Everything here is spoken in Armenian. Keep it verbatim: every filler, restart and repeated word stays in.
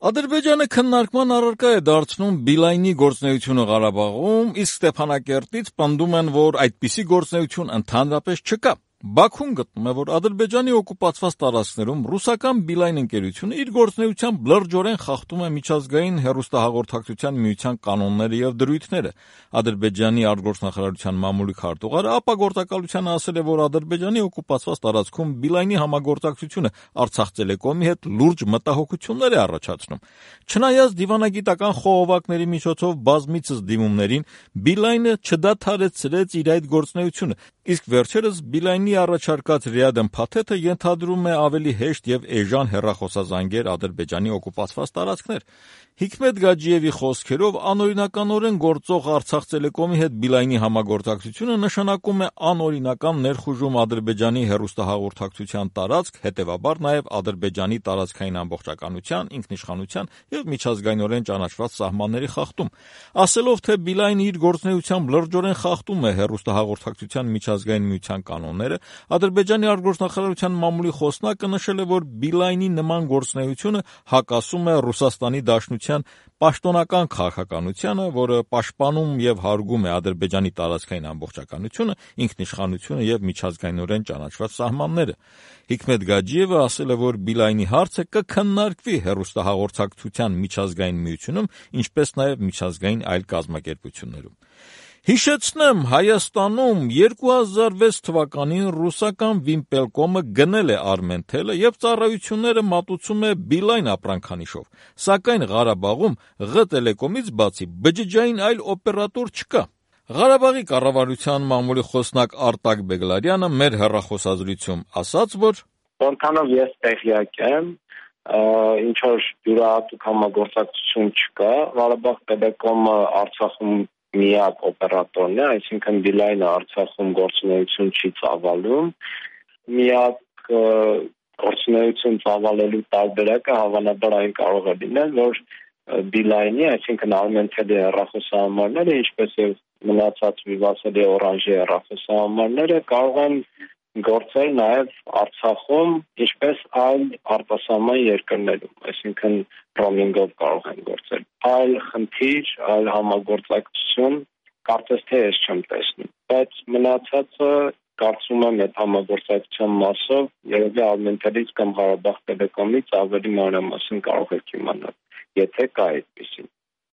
Ադրբեջանը քննարկման առարկա է դարձնում Բիլայնի գործունեությունը Ղարաբաղում, իսկ Ստեփանակերտից պնդում են, որ այդպիսի գործունեություն ընդհանրապես չկա։ Բաքուն գտնում է, որ Ադրբեջանի օկուպացված տարածքներում ռուսական Բիլայն ընկերությունը իր գործունեությամբ լրջորեն խախտում է միջազգային հեռուստահաղորդակցության միության կանոնները եւ դրույթները։ Ադրբեջանի արտգործնախարարության մամուլի քարտուղարը ապագործակալությանը ասել է, որ Ադրբեջանի օկուպացված տարածքում Բիլայնի համագործակցությունը Արցախ Տելեկոմի հետ լուրջ մտահոգություններ է առաջացնում։ Չնայած դիվանագիտական խողովակների միջոցով բազմիցս դիմումներին, Բիլայնը չդադարեցրեց իր այդ գործունեությունը, իսկ վերջերս Բիլայնի առաջարկած Ռիադեն փաթեթը ենթադրում է ավելի հեշտ եւ էժան հեռախոսազանգեր Ադրբեջանի օկուպացված տարածքներ։ Հիկմետ Գաջիևի խոսքերով անօրինականորեն գործող Արցախ Տելեկոմի հետ Բիլայնի համագործակցությունը նշանակում է անօրինական ներխուժում Ադրբեջանի հեռուստահաղորդակցության տարածք, հետեւաբար նաեւ Ադրբեջանի տարածքային ամբողջականության, ինքնիշխանության եւ միջազգայինորեն ճանաչված սահմանների խախտում։ Ասելով, թե Բիլայնը իր գործունեությամբ լրջորեն խախտում է հեռուստահաղորդակցության միջազգային միության կանոնները, Ադրբեջանի արտգործնախարարության մամուլի խոսնակը նշել է, որ Բիլայնի նման գործունեությունը հակասում է Ռուսաստանի Դաշնության պաշտոնական քաղաքականությանը, որը պաշտպանում եւ հարգում է Ադրբեջանի տարածքային ամբողջականությունը, ինքնիշխանությունը եւ միջազգայինորեն ճանաչված սահմանները։ Հիկմետ Գաջիևը ասել է, որ Բիլայնի հարցը կքննարկվի հեռուստահաղորդակցության միջազգային միությունում, ինչպես նաեւ միջազգային այլ կազմակերպություններում։ Հիշեցնեմ, Հայաստանում երկու հազար վեց թվականին ռուսական Վիմպելկոմը գնել է Արմենթելը եւ ծառայությունները մատուցում է Բիլայն ապրանքանիշով, սակայն Ղարաբաղում Ղ Տելեկոմից բացի բջջային այլ օպերատոր չկա։ Ղարաբաղի կառավարության մամուլի խոսնակ Արտակ Բեգլարյանը մեր հեռախոսազրույցում ասաց, որ Որքանով ես տեղյակ եմ, ինչ որ յուրահատուկ համագործակցություն չկա, Ղարաբաղ Տելեկոմը Արցախում միակ օպերատորն է, այսինքն Բիլայնը Արցախում գործունեություն չի ծավալում, միակ գործունեություն ծավալելու տարբերակը հավանաբար այն կարող է լինել, որ Բիլայնի, այսինքն Արմենթելի հեռախոսահամարները, ինչպես եւ մնացած Վիվասելի Օրանժի հեռախոսահամարները կարող են գործել նաև Արցախում, ինչպես այլ արտասահման երկրներում, այսինքն ռոմինգով կարող են գործել։ Այլ խնդիր, այլ համագործակցություն կարծես թե ես չեմ տեսնում, բայց մնացածը կարծում եմ այդ համագործակցության մասով երևի Արմենթելից կամ Ղարաբաղ Տելեկոմից ավելի մանրամասն կարող եք իմանալ, եթե կա այդպիսին։